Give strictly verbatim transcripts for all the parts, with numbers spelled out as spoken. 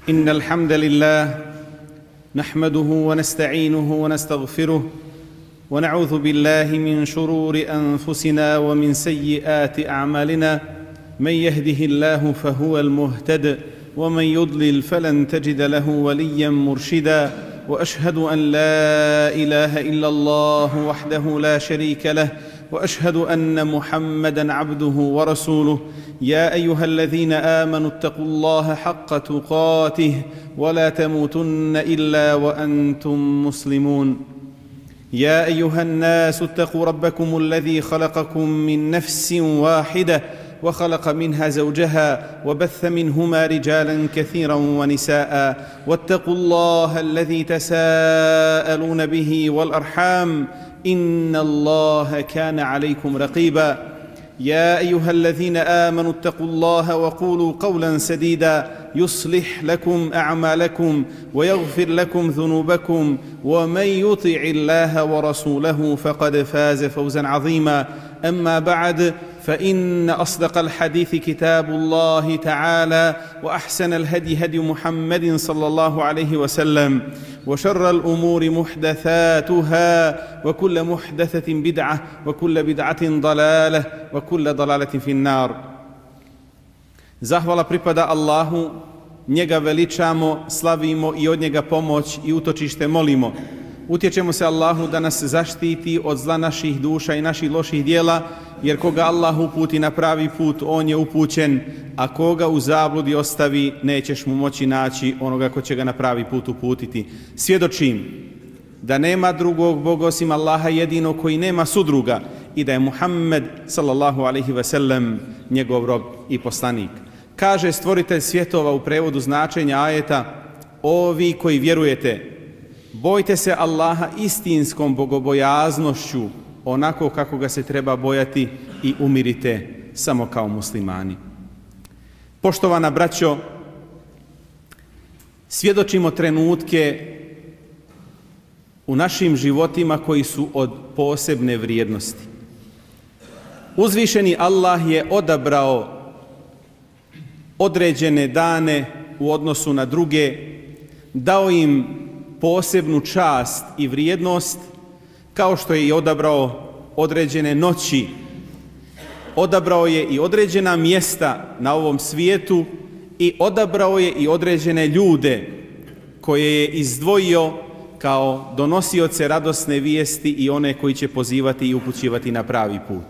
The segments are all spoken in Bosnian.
إن الحمد لله نحمده ونستعينه ونستغفره ونعوذ بالله من شرور أنفسنا ومن سيئات أعمالنا من يهده الله فهو المهتد ومن يضلل فلن تجد له وليا مرشدا وأشهد أن لا إله إلا الله وحده لا شريك له وأشهد أن محمدًا عبده ورسوله يا أيها الذين آمنوا اتقوا الله حق تقاته ولا تموتن إلا وأنتم مسلمون يا أيها الناس اتقوا ربكم الذي خلقكم من نفس واحدة وخلق منها زوجها وبث منهما رجالا كثيرا ونساء واتقوا الله الذي تساءلون به والأرحام إن الله كان عليكم رقيبا يا أيها الذين آمنوا اتقوا الله وقولوا قولا سديدا يصلح لكم أعمالكم ويغفر لكم ذنوبكم ومن يطع الله ورسوله فقد فاز فوزا عظيما أما بعد فإن أصدق الحديث كتاب الله تعالى وأحسن الهدي هدي محمد صلى الله عليه وسلم وشر الأمور محدثاتها وكل محدثة بدعة وكل بدعة ضلالة وكل ضلالة في النار. Zahvala pripada Allahu, njega veličamo, slavimo i od njega pomoć i utočište molimo. Utječemo se Allahu da nas zaštiti od zla naših duša i naših loših dijela, jer koga Allah uputi na pravi put, on je upućen, a koga u zabludi ostavi, nećeš mu moći naći onoga ko će ga na pravi put uputiti. Svjedočim da nema drugog Boga osim Allaha jedino koji nema sudruga i da je Muhammed sallallahu alaihi ve sellem njegov rob i poslanik. Kaže stvoritelj svjetova u prevodu značenja ajeta: o vi koji vjerujete, bojte se Allaha istinskom bogobojaznošću, onako kako ga se treba bojati, i umirite samo kao muslimani. Poštovana braćo, svjedočimo trenutke u našim životima koji su od posebne vrijednosti. Uzvišeni Allah je odabrao određene dane u odnosu na druge, dao im posebnu čast i vrijednost, kao što je i odabrao određene noći, odabrao je i određena mjesta na ovom svijetu i odabrao je i određene ljude koje je izdvojio kao donosioce radosne vijesti i one koji će pozivati i upućivati na pravi put.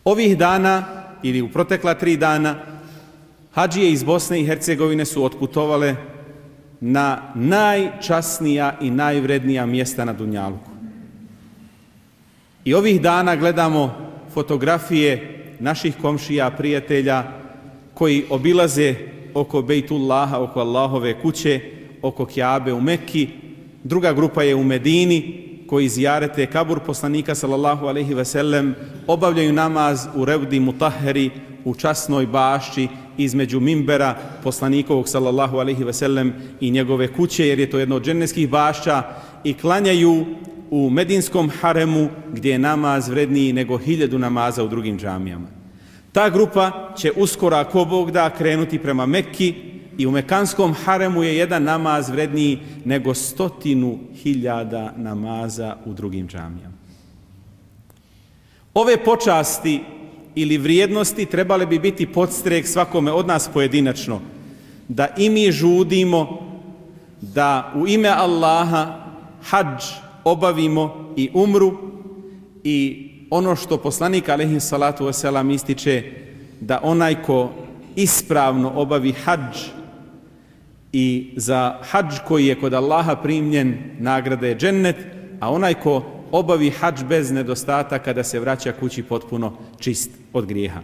Ovih dana ili u protekla tri dana hadžije iz Bosne i Hercegovine su otputovale na najčasnija i najvrednija mjesta na Dunjaluku. I ovih dana gledamo fotografije naših komšija, prijatelja koji obilaze oko Bejtullaha, oko Allahove kuće, oko Kjabe u Mekki. Druga grupa je u Medini koji zjarete kabur poslanika sallallahu alejhi ve sellem, obavljaju namaz u Revdi Mutahheri, u časnoj bašči između mimbera poslanikovog sallallahu alejhi ve sellem i njegove kuće, jer je to jedno od džennetskih bašća, i klanjaju u Medinskom haremu gdje je namaz vredniji nego hiljadu namaza u drugim džamijama. Ta grupa će uskoro, ako Bog da, krenuti prema Mekki i u Mekanskom haremu je jedan namaz vredniji nego stotinu hiljada namaza u drugim džamijama. Ove počasti ili vrijednosti trebale bi biti podstrek svakome od nas pojedinačno, da i mi žudimo da u ime Allaha hadž obavimo i umru, i ono što poslanik alejhi salatu vesselam ističe, da onaj ko ispravno obavi hadž, i za hadž koji je kod Allaha primljen, nagrada je džennet, a onaj ko obavi hadž bez nedostataka, da se vraća kući potpuno čist od grijeha.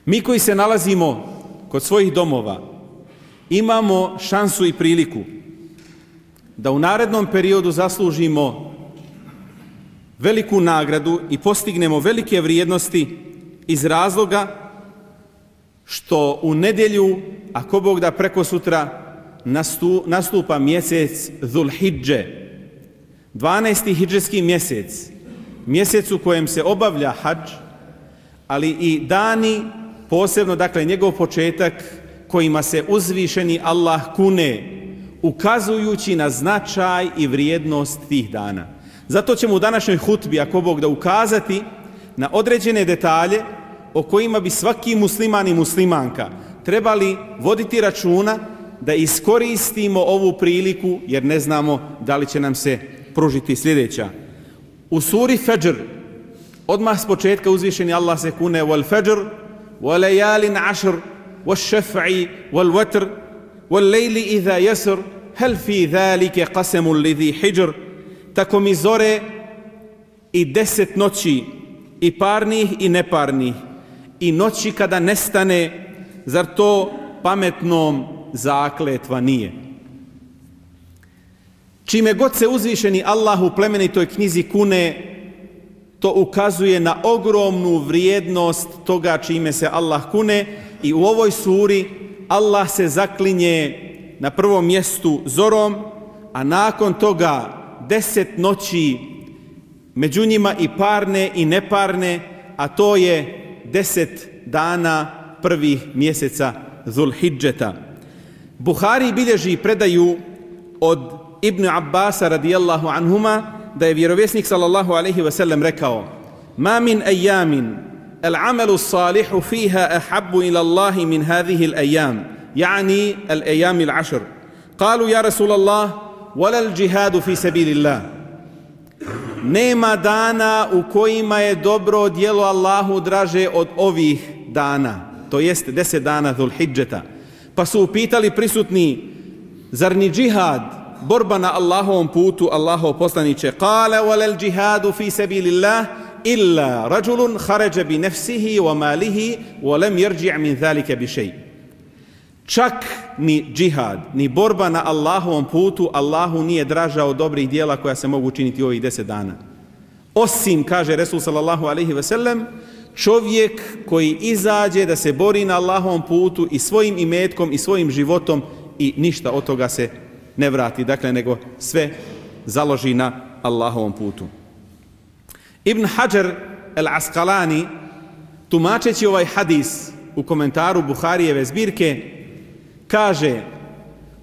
Mi koji se nalazimo kod svojih domova imamo šansu i priliku da u narednom periodu zaslužimo veliku nagradu i postignemo velike vrijednosti iz razloga što u nedjelju, ako Bog da preko sutra, nastupa mjesec Zulhidže, dvanaesti hidžetski mjesec, mjesec u kojem se obavlja hadž, ali i dani, posebno dakle njegov početak kojima se uzvišeni Allah kune, ukazujući na značaj i vrijednost tih dana. Zato ćemo u današnjoj hutbi, ako Bog da, ukazati na određene detalje o kojima bi svaki musliman i muslimanka trebali voditi računa da iskoristimo ovu priliku, jer ne znamo da li će nam se pružiti sljedeća. U suri Fajr, odmah s početka uzvišeni Allah se kune wal fajr, wal layalin ashr, wal šaf'i, wal watr, wal lejli idha jasr, hel fi dhalike qasemu lidhi hijr, tako mi zore i deset noći, i parnih i neparnih, i noći kada nestane, zar to pametnom zakletva nije? Čime god se uzvišeni Allah u plemenitoj knjizi kune, to ukazuje na ogromnu vrijednost toga čime se Allah kune, i u ovoj suri Allah se zaklinje na prvom mjestu zorom, a nakon toga deset noći, među njima i parne i neparne, a to je deset dana prvih mjeseca Zulhidžeta. Buhari bilježi predaju od Ibn Abbasa radijallahu anhuma da je vjerovjesnik sallallahu alaihi wa sallam rekao: Ma min ajamin al-amalu salihu fiha ahabbu ila Allahi min hadhihi al-ajam, yani al-ajami al-ashr. Kalu ja Rasulallah, wala al-jihadu fi sabilillah. Nema dana u kojima je dobro djelo Allahu draže od ovih dana, to jest deset dana Zulhidžeta. Pa su upitali prisutni: zar ni džihad, borba na Allahovom putu, Allahov poslaniče? Kale walal džihadu fi sabilillah illa rajulun kharaja bi nafsihi wa malihi wa lam yarji' min zalika bi shay. Čak ni džihad, ni borba na Allahovom putu Allahu nije draža od dobrih djela koja se mogu učiniti u ovih deset dana. Osim, kaže Resul sallallahu alaihi ve sellem, čovjek koji izađe da se bori na Allahovom putu i svojim imetkom i svojim životom i ništa od toga se ne vrati, dakle, nego sve založi na Allahovom putu. Ibn Hajar al-Asqalani, tumačeći ovaj hadis u komentaru Buharijeve zbirke, kaže: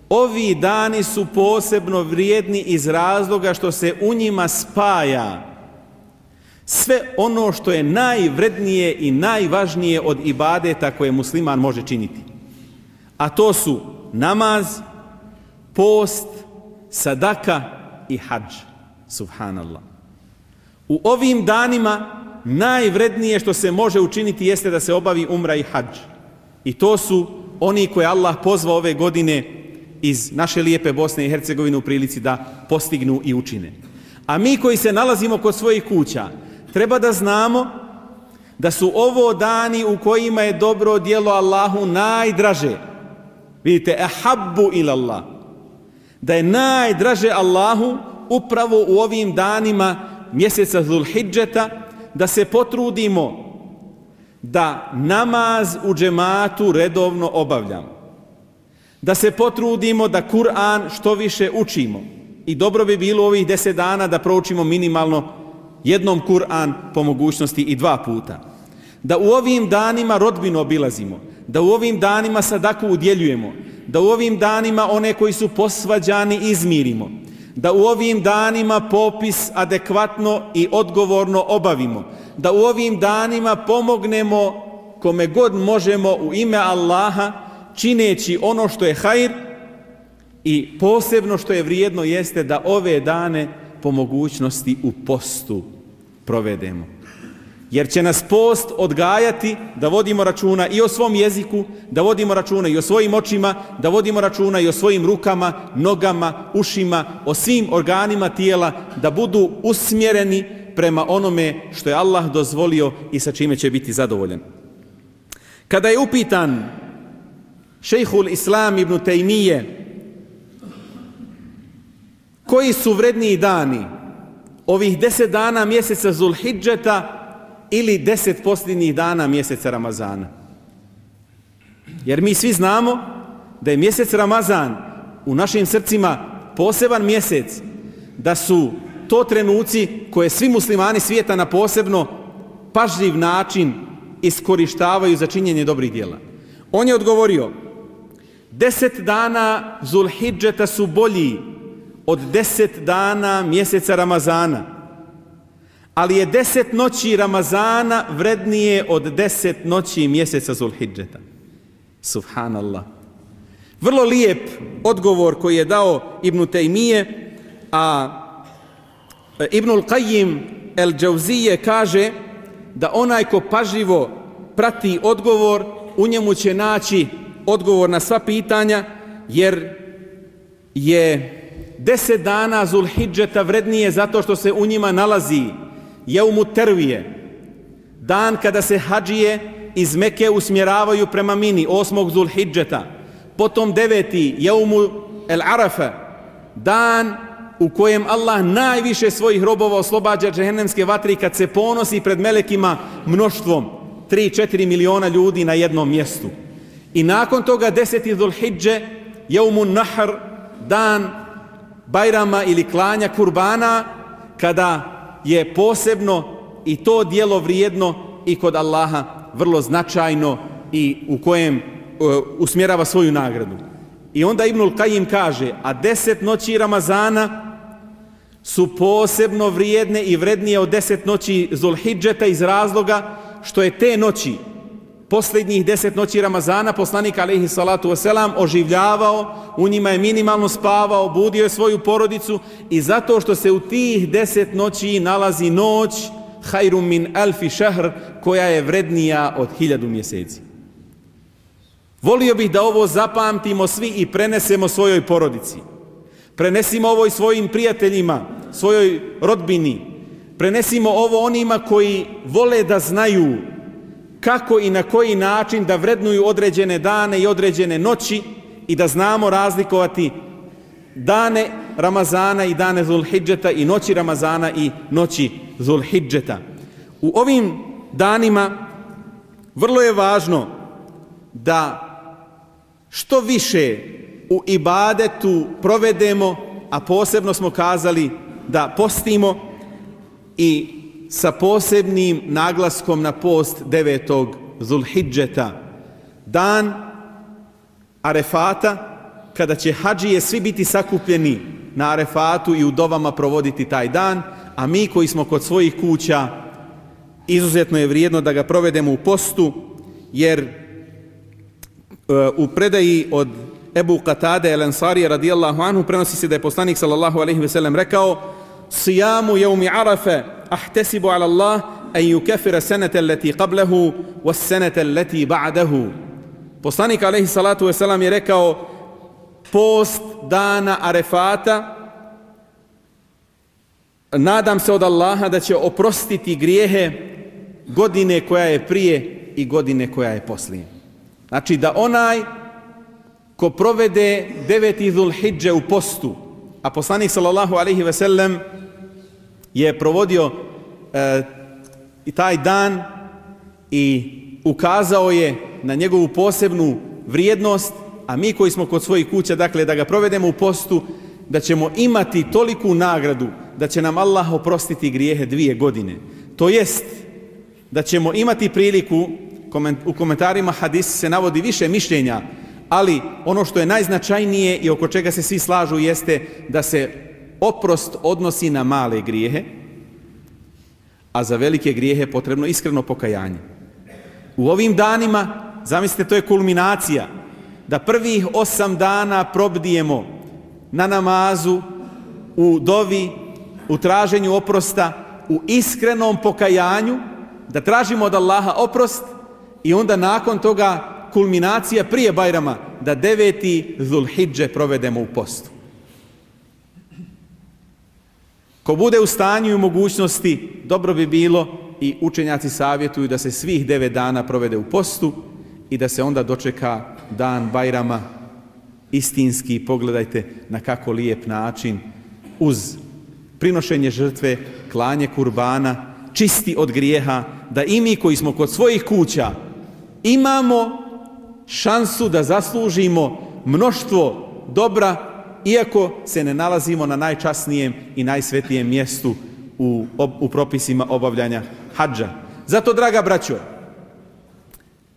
ovi dani su posebno vrijedni iz razloga što se u njima spaja sve ono što je najvrednije i najvažnije od ibadeta koje musliman može činiti. A to su namaz, post, sadaka i hadž. Subhanallah. U ovim danima najvrednije što se može učiniti jeste da se obavi umra i hadž. I to su oni koje Allah pozvao ove godine iz naše lijepe Bosne i Hercegovine u prilici da postignu i učine. A mi koji se nalazimo kod svojih kuća, treba da znamo da su ovo dani u kojima je dobro djelo Allahu najdraže. Vidite, ahabbu ila Allah. Da je najdraže Allahu upravo u ovim danima mjeseca Zulhidžeta, da se potrudimo da namaz u džematu redovno obavljamo. Da se potrudimo da Kur'an što više učimo. I dobro bi bilo ovih deset dana da proučimo minimalno jednom Kur'an, po mogućnosti i dva puta. Da u ovim danima rodbinu obilazimo, da u ovim danima sadaku udjeljujemo, da u ovim danima one koji su posvađani izmirimo, da u ovim danima popis adekvatno i odgovorno obavimo, da u ovim danima pomognemo kome god možemo u ime Allaha, čineći ono što je hajr, i posebno što je vrijedno jeste da ove dane po mogućnosti u postu provedemo. Jer će nas post odgajati da vodimo računa i o svom jeziku, da vodimo računa i o svojim očima, da vodimo računa i o svojim rukama, nogama, ušima, o svim organima tijela, da budu usmjereni prema onome što je Allah dozvolio i sa čime će biti zadovoljen. Kada je upitan šejhul Islam ibn Tejmije koji su vredniji dani, ovih deset dana mjeseca Zulhidžeta ili deset posljednjih dana mjeseca Ramazana? Jer mi svi znamo da je mjesec Ramazan u našim srcima poseban mjesec, da su to trenuci koje svi muslimani svijeta na posebno pažljiv način iskorištavaju za činjenje dobrih djela. On je odgovorio: Deset dana Zulhidžeta su bolji od deset dana mjeseca Ramazana, ali je deset noći Ramazana vrednije od deset noći mjeseca Zulhidžeta. Subhanallah. Vrlo lijep odgovor koji je dao Ibn Tejmije, a Ibnul Qajim el-Džauzije kaže da onaj ko pažljivo prati odgovor, u njemu će naći odgovor na sva pitanja, jer je deset dana Zulhidžeta vrednije zato što se u njima nalazi Jeumu Tervije, dan kada se hadžije iz Meke usmjeravaju prema Mini, osmog Zulhidžeta, potom deveti Jeumu el Arafa, dan u kojem Allah najviše svojih robova oslobađa džehennemske vatre kad se ponosi pred melekima mnoštvom, tri do četiri miliona ljudi na jednom mjestu. I nakon toga deseti Zulhidže, Jeumun Nahr, dan Bajrama ili klanja kurbana, kada je posebno i to djelo vrijedno i kod Allaha vrlo značajno i u kojem uh, usmjerava svoju nagradu. I onda Ibnul Qajim kaže, a deset noći Ramazana su posebno vrijedne i vrednije od deset noći Zulhidžeta iz razloga što je te noći, posljednjih deset noći Ramazana, poslanik alejhi salatu wasalam oživljavao, u njima je minimalno spavao, budio je svoju porodicu i zato što se u tih deset noći nalazi noć hajrum min alfi šahr, koja je vrednija od hiljadu mjeseci. Volio bih da ovo zapamtimo svi i prenesemo svojoj porodici. Prenesimo ovo i svojim prijateljima, svojoj rodbini. Prenesimo ovo onima koji vole da znaju kako i na koji način da vrednuju određene dane i određene noći i da znamo razlikovati dane Ramazana i dane Zulhidžeta i noći Ramazana i noći Zulhidžeta. U ovim danima vrlo je važno da što više u ibadetu provedemo, a posebno smo kazali da postimo i sa posebnim naglaskom na post devetog Zulhidžeta, dan Arefata, kada će hadžije svi biti sakupljeni na Arefatu i u dovama provoditi taj dan, a mi koji smo kod svojih kuća, izuzetno je vrijedno da ga provedemo u postu, jer u predaji od Ebu Katade el-Ansarija radijallahu anhu prenosi se da je poslanik sallallahu alejhi ve sellem rekao: "Siyamu yawmi Arafa ahtasibu ala Allah an yukaffira sanata allati qablahu was sanata allati ba'dahu." Poslanik alejhi salatu ve selam je rekao: post dana Arefata, nadam se od Allaha da će oprostiti grijehe godine koja je prije i godine koja je poslije. Znači da onaj ko provede deveti Zulhidže u postu, a poslanik sallallahu alejhi ve sellem je provodio e, i taj dan i ukazao je na njegovu posebnu vrijednost, a mi koji smo kod svojih kuća, dakle da ga provedemo u postu, da ćemo imati toliku nagradu da će nam Allah oprostiti grijehe dvije godine. To jest da ćemo imati priliku, u komentarima hadis se navodi više mišljenja, ali ono što je najznačajnije i oko čega se svi slažu jeste da se oprost odnosi na male grijehe, a za velike grijehe potrebno iskreno pokajanje. U ovim danima, zamislite, to je kulminacija, da prvih osam dana probdijemo na namazu, u dovi, u traženju oprosta, u iskrenom pokajanju, da tražimo od Allaha oprost i onda nakon toga kulminacija prije Bajrama, da deveti Zulhidže provedemo u postu. Ko bude u stanju i mogućnosti, dobro bi bilo, i učenjaci savjetuju da se svih devet dana provede u postu i da se onda dočeka dan Bajrama istinski. Pogledajte na kako lijep način, uz prinošenje žrtve, klanje kurbana, čisti od grijeha, da i mi koji smo kod svojih kuća imamo šansu da zaslužimo mnoštvo dobra, iako se ne nalazimo na najčasnijem i najsvetijem mjestu u, u propisima obavljanja hadža. Zato, draga braćo,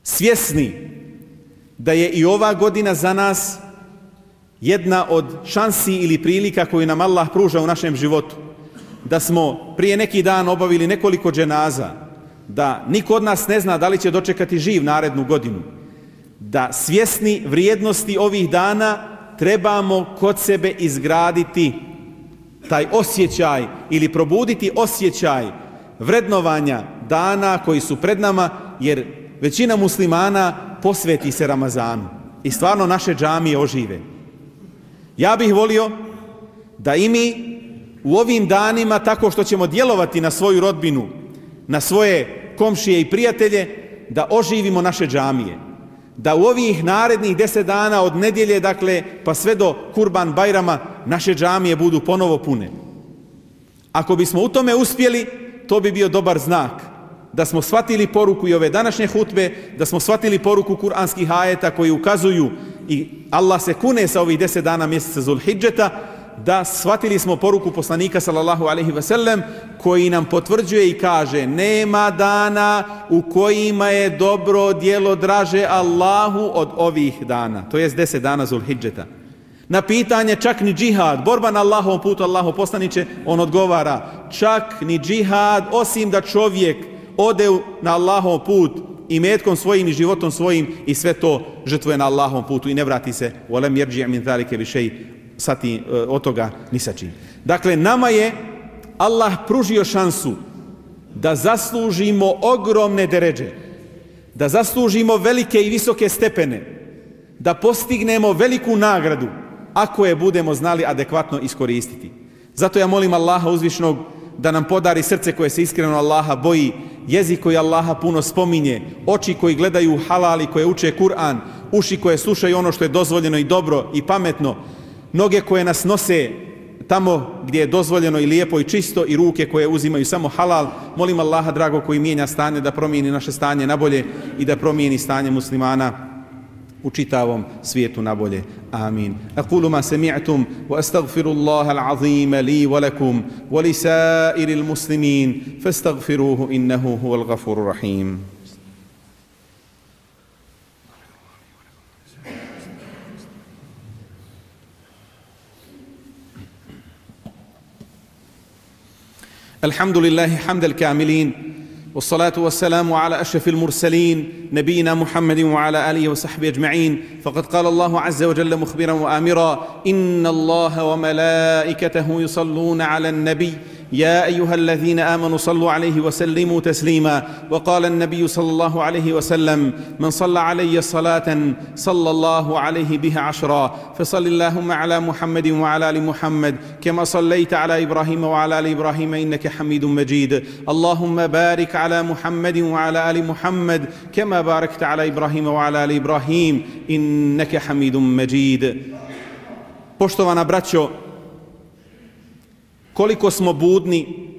svjesni da je i ova godina za nas jedna od šansi ili prilika koju nam Allah pruža u našem životu. Da smo prije neki dan obavili nekoliko dženaza, da niko od nas ne zna da li će dočekati živ narednu godinu, da svjesni vrijednosti ovih dana trebamo kod sebe izgraditi taj osjećaj ili probuditi osjećaj vrednovanja dana koji su pred nama, jer većina muslimana posveti se Ramazanu i stvarno naše džamije ožive. Ja bih volio da i mi u ovim danima, tako što ćemo djelovati na svoju rodbinu, na svoje komšije i prijatelje, da oživimo naše džamije. Da u ovih narednih deset dana od nedjelje, dakle, pa sve do Kurban Bajrama, naše džamije budu ponovo pune. Ako bismo u tome uspjeli, to bi bio dobar znak. Da smo shvatili poruku i ove današnje hutbe, da smo shvatili poruku kuranskih ajeta koji ukazuju i Allah se kune sa ovih deset dana mjeseca Zulhidžeta, da shvatili smo poruku poslanika sallallahu alejhi ve sellem koji nam potvrđuje i kaže: nema dana u kojima je dobro djelo draže Allahu od ovih dana, to jest deset dana Zulhidžeta. Na pitanje čak ni džihad, borba na Allahovom putu, Allahov poslaniče, on odgovara: čak ni džihad, osim da čovjek ode na Allahov put i metkom svojim i životom svojim i sve to žrtvuje na Allahovom putu i ne vrati se وَلَمْ يَرْجِعْ مِنْ ذَلِكَ بِشَيْءٍ sati od toga ni sačin. Dakle, nama je Allah pružio šansu da zaslužimo ogromne deredže, da zaslužimo velike i visoke stepene, da postignemo veliku nagradu ako je budemo znali adekvatno iskoristiti. Zato ja molim Allaha uzvišnog da nam podari srce koje se iskreno Allaha boji, jezik koji Allaha puno spominje, oči koji gledaju halal i koje uče Kur'an, uši koje slušaju ono što je dozvoljeno i dobro i pametno, noge koje nas nose tamo gdje je dozvoljeno i lijepo i čisto i ruke koje uzimaju samo halal. Molim Allaha drago koji mijenja stanje da promijeni naše stanje na bolje i da promijeni stanje muslimana u čitavom svijetu na bolje. Amin. Aqulu ma sami'tum wa astaghfirullaha al-azim li wa lakum wa li sa'iril muslimin fastaghfiruhu innahu huwal ghafurur rahim. الحمد لله حمد الكاملين والصلاة والسلام على أشرف المرسلين نبينا محمد وعلى آله وصحبه أجمعين. فقد قال الله عز وجل مخبرا وآمرا: إن الله وملائكته يصلون على النبي يا أيها الذين آمنوا صلوا عليه وسلموا تسليما. وقال النبي صلى الله عليه وسلم: من صلى علي صلاة صلى الله عليه بها عشرا. فصل اللهم على محمد وعلى آل محمد كما صليت على إبراهيم وعلى آل إبراهيم إنك حميد مجيد. اللهم بارك على محمد وعلى آل محمد كما باركت على إبراهيم وعلى آل إبراهيم إنك حميد مجيد. Poštovana braćo, koliko smo budni,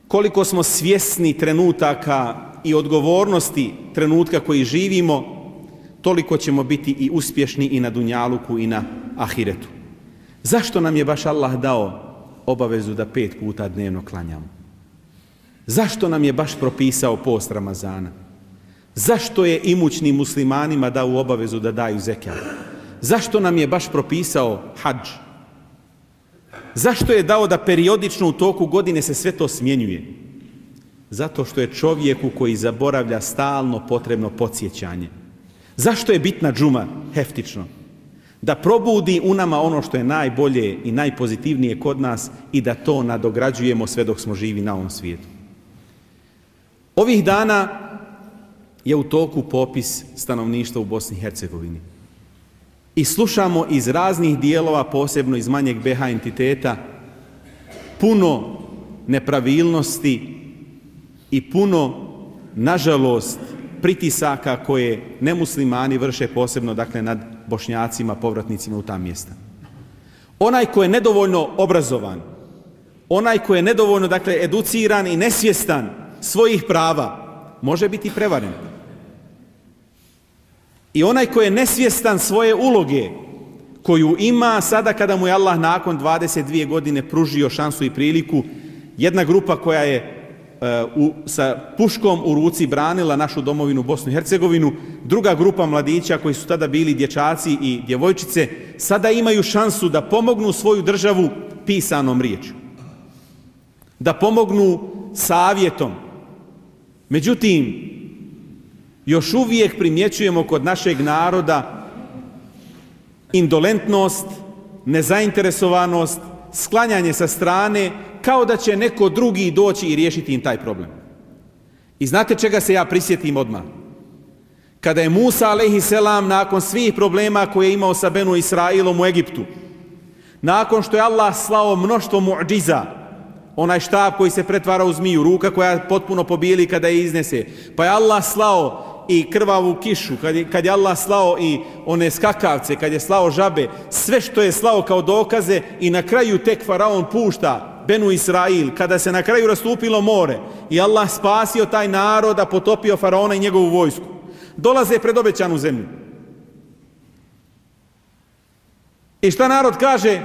koliko smo svjesni trenutaka i odgovornosti trenutka koji živimo, toliko ćemo biti i uspješni i na dunjaluku i na ahiretu. Zašto nam je baš Allah dao obavezu da pet puta dnevno klanjamo? Zašto nam je baš propisao post Ramazana? Zašto je imućnim muslimanima dao obavezu da daju zekat? Zašto nam je baš propisao hadž? Zašto je dao da periodično u toku godine se sve to smjenjuje? Zato što je čovjeku koji zaboravlja stalno potrebno podsjećanje. Zašto je bitna džuma heftično? Da probudi u nama ono što je najbolje i najpozitivnije kod nas i da to nadograđujemo sve dok smo živi na ovom svijetu. Ovih dana je u toku popis stanovništva u Bosni i Hercegovini. I slušamo iz raznih dijelova, posebno iz manjeg B H entiteta, puno nepravilnosti i puno, nažalost, pritisaka koje nemuslimani vrše, posebno dakle nad Bošnjacima, povratnicima u ta mjesta. Onaj ko je nedovoljno obrazovan, onaj ko je nedovoljno dakle educiran i nesvjestan svojih prava, može biti prevaren. I onaj ko je nesvjestan svoje uloge koju ima sada kada mu je Allah nakon dvadeset dvije godine pružio šansu i priliku, jedna grupa koja je u, sa puškom u ruci branila našu domovinu Bosnu i Hercegovinu. Druga grupa mladića koji su tada bili dječaci i djevojčice sada imaju šansu da pomognu svoju državu pisanom riječju, da pomognu savjetom. Međutim, još uvijek primjećujemo kod našeg naroda indolentnost, nezainteresovanost, sklanjanje sa strane, kao da će neko drugi doći i riješiti im taj problem. I znate čega se ja prisjetim odmah? Kada je Musa alejhiselam nakon svih problema koje je imao sa Benu Israilom u Egiptu, nakon što je Allah slao mnoštvo mu'džiza, onaj štab koji se pretvara u zmiju, ruka koja potpuno pobijeli kada je iznese, pa je Allah slao i krvavu kišu, kad je, kad je Allah slao i one skakavce, kad je slao žabe, sve što je slao kao dokaze, i na kraju tek faraon pušta Benu Israil, kada se na kraju rastupilo more i Allah spasio taj narod, a potopio faraona i njegovu vojsku, dolaze pred obećanu zemlju. I šta narod kaže?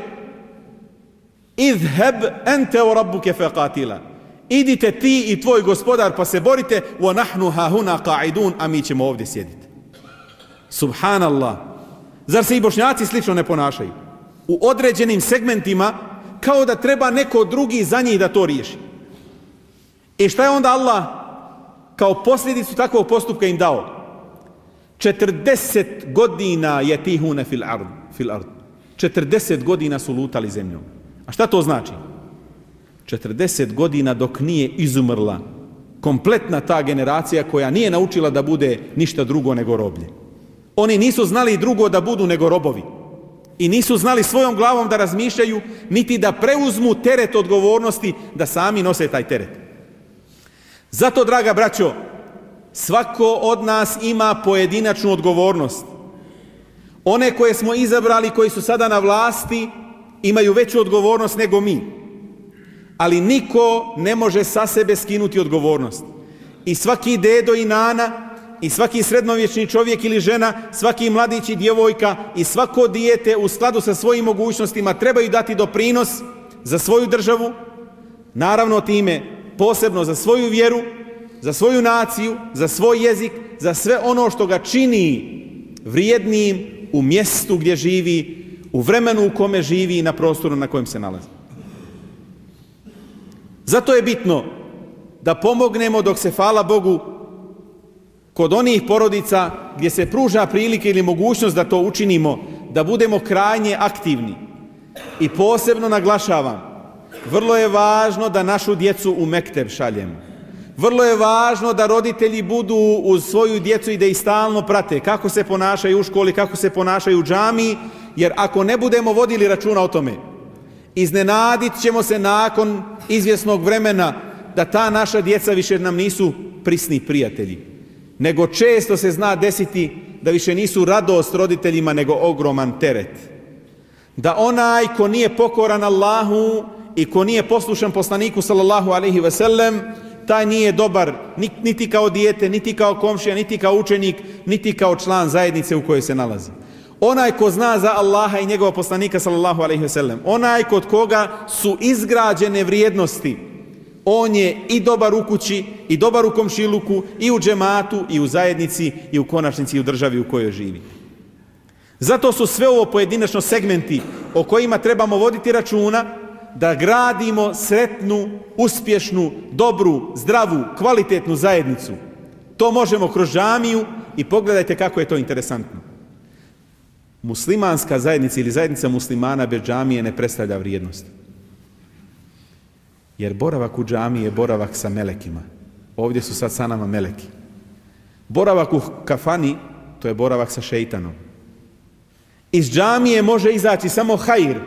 Idheb ente o rabbuke feqatila. Idite ti i tvoj gospodar pa se borite, wa nahnu hahuna qa'idun, a mi ćemo ovdje sjediti. Subhanallah. Zar se i Bošnjaci slično ne ponašaju? U određenim segmentima kao da treba neko drugi za njih da to riješi. I šta je onda Allah kao posljedicu takvog postupka im dao? četrdeset godina je tihune fil ard, fil ard. četrdeset godina su lutali zemljom. A šta to znači? četrdeset godina dok nije izumrla kompletna ta generacija koja nije naučila da bude ništa drugo nego roblje. Oni nisu znali drugo da budu nego robovi. I nisu znali svojom glavom da razmišljaju, niti da preuzmu teret odgovornosti, da sami nose taj teret. Zato, draga braćo, svako od nas ima pojedinačnu odgovornost. One koje smo izabrali, koji su sada na vlasti, imaju veću odgovornost nego mi. Ali niko ne može sa sebe skinuti odgovornost. I svaki dedo i nana, i svaki srednovječni čovjek ili žena, svaki mladić i djevojka i svako dijete u skladu sa svojim mogućnostima trebaju dati doprinos za svoju državu, naravno time posebno za svoju vjeru, za svoju naciju, za svoj jezik, za sve ono što ga čini vrijednim u mjestu gdje živi, u vremenu u kome živi i na prostoru na kojem se nalazi. Zato je bitno da pomognemo dok se, hvala Bogu, kod onih porodica gdje se pruža prilike ili mogućnost da to učinimo, da budemo krajnje aktivni. I posebno naglašavam, vrlo je važno da našu djecu u mekteb šaljemo. Vrlo je važno da roditelji budu uz svoju djecu i da ih stalno prate kako se ponašaju u školi, kako se ponašaju u džamiji, jer ako ne budemo vodili računa o tome, iznenadit ćemo se nakon izvjesnog vremena da ta naša djeca više nam nisu prisni prijatelji, nego često se zna desiti da više nisu radost roditeljima nego ogroman teret. Da onaj ko nije pokoran Allahu i ko nije poslušan poslaniku sallallahu alejhi ve sellem, taj nije dobar niti kao dijete, niti kao komšija, niti kao učenik, niti kao član zajednice u kojoj se nalazi. Onaj ko zna za Allaha i njegova poslanika sallallahu alejhi ve sellem, onaj kod koga su izgrađene vrijednosti, on je i dobar u kući, i dobar u komšiluku, i u džematu, i u zajednici, i u konačnici i u državi u kojoj živi. Zato su sve ovo pojedinačno segmenti o kojima trebamo voditi računa, da gradimo sretnu, uspješnu, dobru, zdravu, kvalitetnu zajednicu. To možemo kroz džamiju i pogledajte kako je to interesantno. Muslimanska zajednica ili zajednica muslimana bez džamije ne predstavlja vrijednost. Jer boravak u džamiji je boravak sa melekima. Ovdje su sad sa nama meleki. Boravak u kafani, to je boravak sa šeitanom. Iz džamije može izaći samo hajr.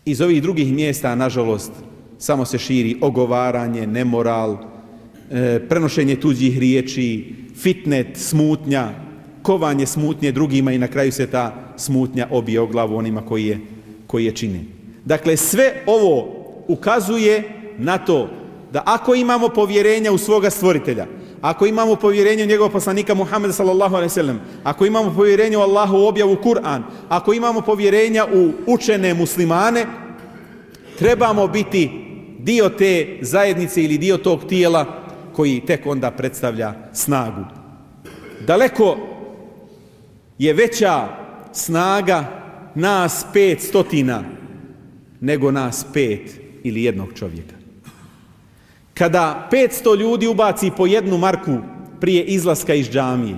Iz ovih drugih mjesta, nažalost, samo se širi ogovaranje, nemoral, e, prenošenje tuđih riječi, fitnet, smutnja, kovanje smutnje drugima i na kraju se ta smutnja obije o glavu onima koji je, koji je čine. Dakle, sve ovo ukazuje na to da ako imamo povjerenja u svoga stvoritelja, ako imamo povjerenje u njegovog poslanika Muhammeda sallallahu alejhi ve sellem, ako imamo povjerenje u Allahu objavu Kur'an, ako imamo povjerenja u učene muslimane, trebamo biti dio te zajednice ili dio tog tijela koji tek onda predstavlja snagu. Daleko je veća snaga nas pet stotina nego nas pet ili jednog čovjeka. Kada petsto ljudi ubaci po jednu marku prije izlaska iz džamije,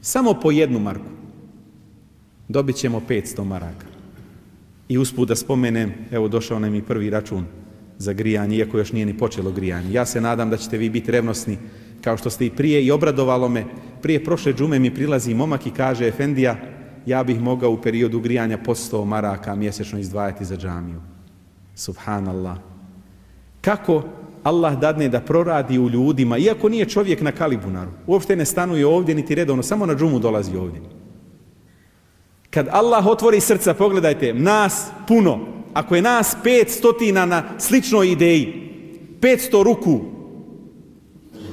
samo po jednu marku, dobit ćemo petsto maraka. I usput da spomenem, evo došao nam i prvi račun za grijanje, iako još nije ni počelo grijanje. Ja se nadam da ćete vi biti revnosni, kao što ste i prije, i obradovalo me. Prije prošle džume mi prilazi momak i kaže: efendija, ja bih mogao u periodu grijanja po sto maraka mjesečno izdvajati za džamiju. Subhanallah. Kako Allah dadne da proradi u ljudima, iako nije čovjek na Kalibunaru, uopšte ne stanuje ovdje niti redovno, samo na džumu dolazi ovdje. Kad Allah otvori srca, pogledajte, nas puno, ako je nas pet stotina na sličnoj ideji, petsto ruku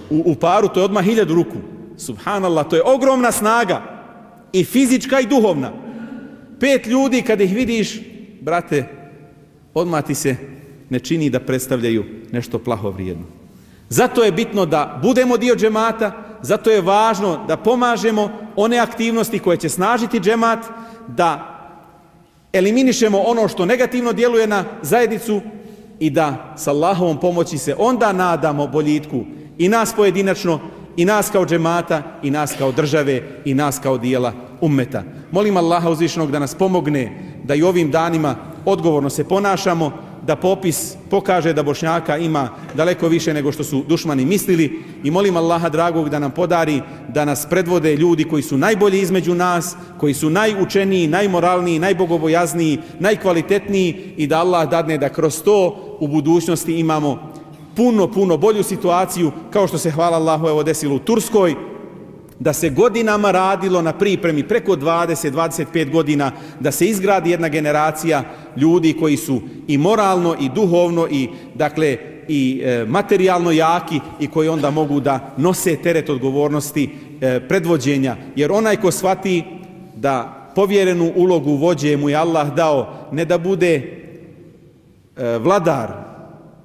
u, u paru, to je odmah hiljadu ruku. Subhanallah, to je ogromna snaga, i fizička i duhovna. Pet ljudi, kad ih vidiš, brate, odmah ti se ne čini da predstavljaju nešto plaho vrijedno. Zato je bitno da budemo dio džemata, zato je važno da pomažemo one aktivnosti koje će snažiti džemat, da eliminišemo ono što negativno djeluje na zajednicu i da s Allahovom pomoći se onda nadamo boljitku i nas pojedinačno, i nas kao džemata, i nas kao države, i nas kao dijela ummeta. Molim Allaha uzvišenog da nas pomogne da i ovim danima odgovorno se ponašamo, da popis pokaže da Bošnjaka ima daleko više nego što su dušmani mislili, i molim Allaha dragog da nam podari da nas predvode ljudi koji su najbolji između nas, koji su najučeniji, najmoralniji, najbogobojazniji, najkvalitetniji, i da Allah dadne da kroz to u budućnosti imamo puno, puno bolju situaciju, kao što se, hvala Allahu, evo desilo u Turskoj, da se godinama radilo na pripremi, preko dvadeset do dvadeset pet godina, da se izgradi jedna generacija ljudi koji su i moralno i duhovno i dakle i e, materijalno jaki, i koji onda mogu da nose teret odgovornosti e, predvođenja. Jer onaj ko shvati da povjerenu ulogu vođe mu je Allah dao, ne da bude e, vladar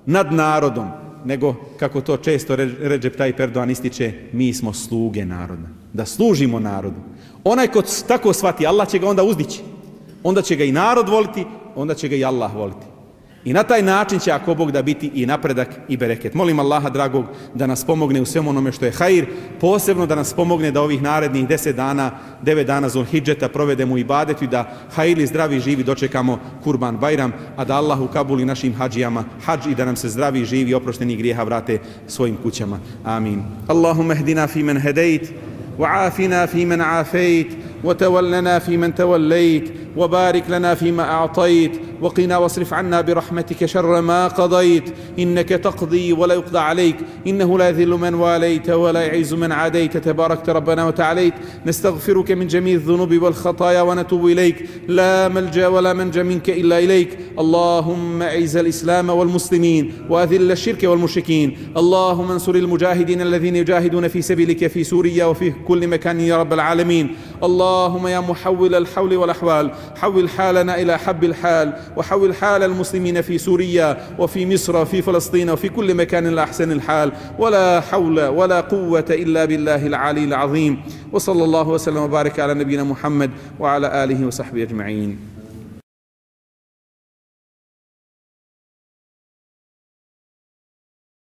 nad narodom, nego, kako to često Recep Tayyip Erdogan ističe, mi smo sluge naroda, da služimo narodu. Onaj ko tako shvati, Allah će ga onda uzdići. Onda će ga i narod voliti, onda će ga i Allah voliti. I na taj način će, ako Bog da, biti i napredak i bereket. Molim Allaha dragog da nas pomogne u svemu onome što je hajr, posebno da nas pomogne da ovih narednih deset dana, devet dana Zulhidžeta provedemo u ibadetu i da hajrli, zdravi, živi dočekamo Kurban Bajram, a da Allah ukabuli našim hađijama hađ i da nam se zdravi, živi, oprošteni grijeha vrate svojim kućama. Amin. Allahumma hdina fi men hedejt, وعافنا فيمن عافيت، وتولنا فيمن توليت، وبارك لنا فيما أعطيت، وقنا واصرف عنا برحمتك شر ما قضيت، إنك تقضي ولا يقضى عليك، إنه لا يذل من واليت ولا يعز من عاديت، تباركت ربنا وتعاليت. نستغفرك من جميع الذنوب والخطايا ونتوب إليك، لا ملجأ ولا منجا منك إلا إليك. اللهم أعز الإسلام والمسلمين وأذل الشرك والمشركين. اللهم انصر المجاهدين الذين يجاهدون في سبيلك في سوريا وفي كل مكان يا رب العالمين. اللهم يا محول الحول والأحوال، حول حالنا إلى حب الحال، وحول حال المسلمين في سوريا وفي مصر وفي فلسطين وفي كل مكان إلى أحسن الحال، ولا حول ولا قوة إلا بالله العلي العظيم. وصلى الله وسلم وبارك على نبينا محمد وعلى آله وصحبه أجمعين.